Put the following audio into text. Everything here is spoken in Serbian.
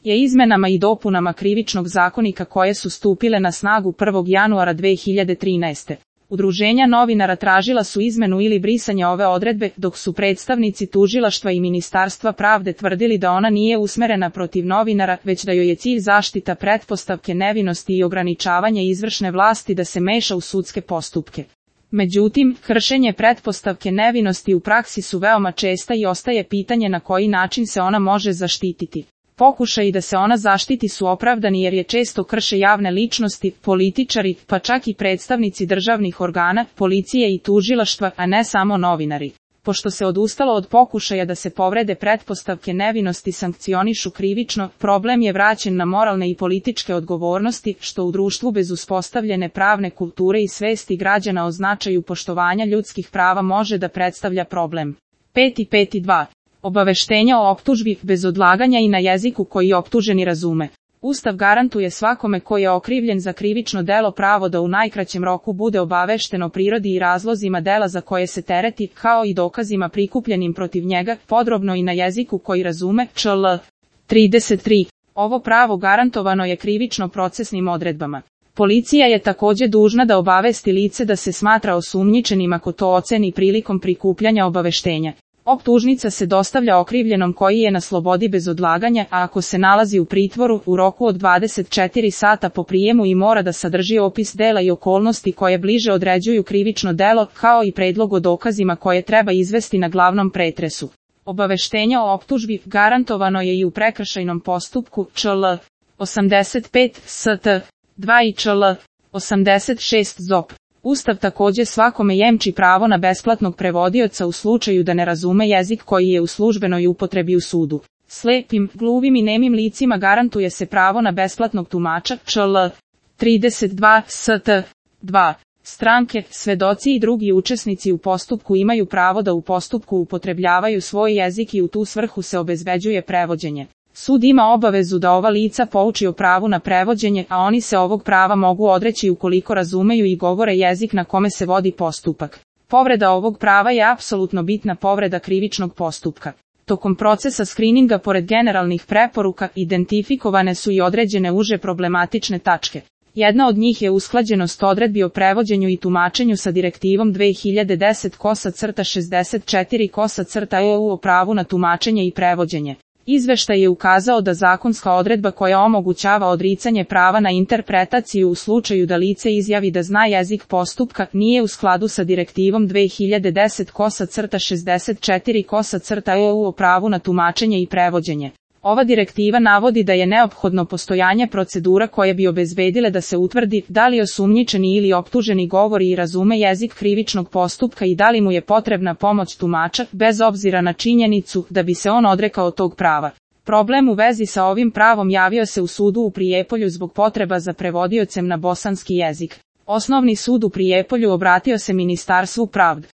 je izmenama i dopunama Krivičnog zakonika koje su stupile na snagu 1. januara 2013. Udruženja novinara tražila su izmenu ili brisanje ove odredbe, dok su predstavnici tužilaštva i Ministarstva pravde tvrdili da ona nije usmerena protiv novinara, već da joj je cilj zaštita pretpostavke nevinosti i ograničavanje izvršne vlasti da se meša u sudske postupke. Međutim, kršenje pretpostavke nevinosti u praksi su veoma česta i ostaje pitanje na koji način se ona može zaštititi. Pokušaji da se ona zaštiti su opravdani jer je često krše javne ličnosti, političari, pa čak i predstavnici državnih organa, policije i tužilaštva, a ne samo novinari. Pošto se odustalo od pokušaja da se povrede pretpostavke nevinosti sankcionišu krivično, problem je vraćen na moralne i političke odgovornosti, što u društvu bez uspostavljene pravne kulture i svesti građana o značaju poštovanja ljudskih prava može da predstavlja problem. 5.2. Obaveštenja o optužbi bez odlaganja i na jeziku koji optuženi razume. Ustav garantuje svakome koji je okrivljen za krivično delo pravo da u najkraćem roku bude obavešten o prirodi i razlozima dela za koje se tereti, kao i dokazima prikupljenim protiv njega, podrobno i na jeziku koji razume, čl. 33. Ovo pravo garantovano je krivično-procesnim odredbama. Policija je također dužna da obavesti lice da se smatra osumnjičenim ako to oceni prilikom prikupljanja obaveštenja. Optužnica se dostavlja okrivljenom koji je na slobodi bez odlaganja, a ako se nalazi u pritvoru, u roku od 24 sata po prijemu i mora da sadrži opis dela i okolnosti koje bliže određuju krivično delo, kao i predlog o dokazima koje treba izvesti na glavnom pretresu. Obaveštenje o optužbi garantovano je i u prekršajnom postupku, čl. 85 st. 2 i čl. 86 ZOP. Ustav također svakome jemči pravo na besplatnog prevodioca u slučaju da ne razume jezik koji je u službenoj upotrebi u sudu. Slepim, gluvim i nemim licima garantuje se pravo na besplatnog tumača, čl. 32 st. 2. Stranke, svedoci i drugi učesnici u postupku imaju pravo da u postupku upotrebljavaju svoj jezik i u tu svrhu se obezbeđuje prevođenje. Sud ima obavezu da ova lica pouči o pravu na prevođenje, a oni se ovog prava mogu odreći ukoliko razumeju i govore jezik na kome se vodi postupak. Povreda ovog prava je apsolutno bitna povreda krivičnog postupka. Tokom procesa skrininga pored generalnih preporuka identifikovane su i određene uže problematične tačke. Jedna od njih je usklađenost odredbi o prevođenju i tumačenju sa direktivom 2010/64/EU o pravu na tumačenje i prevođenje. Izveštaj je ukazao da zakonska odredba koja omogućava odricanje prava na interpretaciju u slučaju da lice izjavi da zna jezik postupka nije u skladu sa direktivom 2010/64/EU o pravu na tumačenje i prevođenje. Ova direktiva navodi da je neophodno postojanje procedura koje bi obezbedile da se utvrdi da li osumnjičeni ili optuženi govori i razume jezik krivičnog postupka i da li mu je potrebna pomoć tumača, bez obzira na činjenicu da bi se on odrekao tog prava. Problem u vezi sa ovim pravom javio se u sudu u Prijepolju zbog potreba za prevodiocem na bosanski jezik. Osnovni sud u Prijepolju obratio se Ministarstvu pravde.